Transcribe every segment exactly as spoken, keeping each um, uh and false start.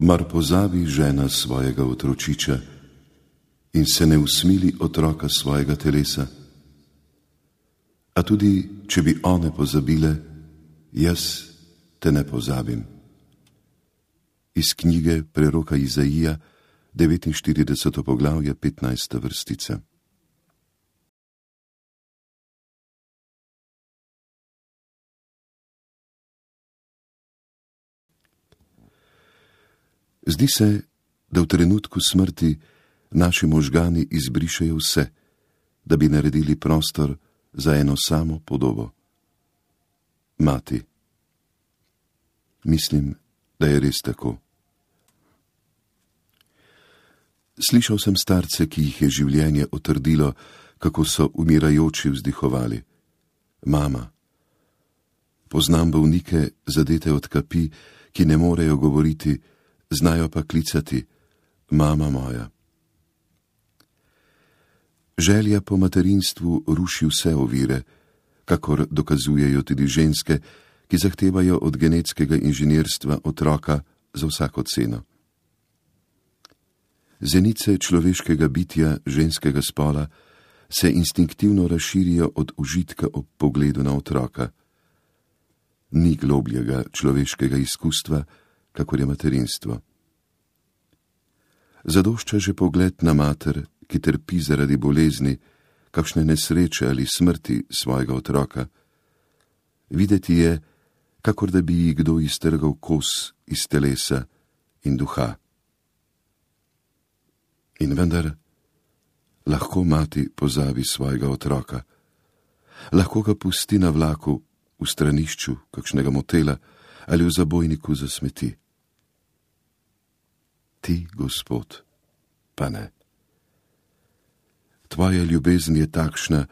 Mar pozabi žena svojega otročiča in se ne usmili otroka svojega telesa? A tudi, če bi one pozabile, jaz te ne pozabim. Iz knjige preroka Izaija, devetinštirideseto poglavje, petnajsta vrstica. Zdi se, da v trenutku smrti naši možgani izbrišejo vse, da bi naredili prostor za eno samo podobo. Mati. Mislim, da je res tako. Slišal sem starce, ki jih je življenje otrdilo, kako so umirajoči vzdihovali. Mama. Poznam bolnike, zadete od kapi, ki ne morejo govoriti, znajo pa klicati, mama moja. Želja po materinstvu ruši vse ovire, kakor dokazujejo tudi ženske, ki zahtevajo od genetskega inženirstva otroka za vsako ceno. Zenice človeškega bitja ženskega spola se instinktivno razširijo od užitka ob pogledu na otroka. Ni globljega človeškega izkustva, kakor je materinstvo. Zadošča že pogled na mater, ki trpi zaradi bolezni, kakšne nesreče ali smrti svojega otroka. Videti je, kakor da bi ji kdo iztrgal kos iz telesa in duha. In vendar, lahko mati pozabi svojega otroka. Lahko ga pusti na vlaku, v stranišču kakšnega motela ali v zabojniku za smeti. Ti, Gospod, pa ne. Tvoja ljubezen je takšna,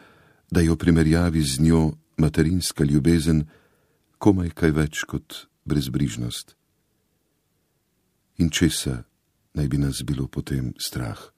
da je v primerjavi z njo materinska ljubezen komaj kaj več kot brezbrižnost. In česa naj bi nas bilo potem strah?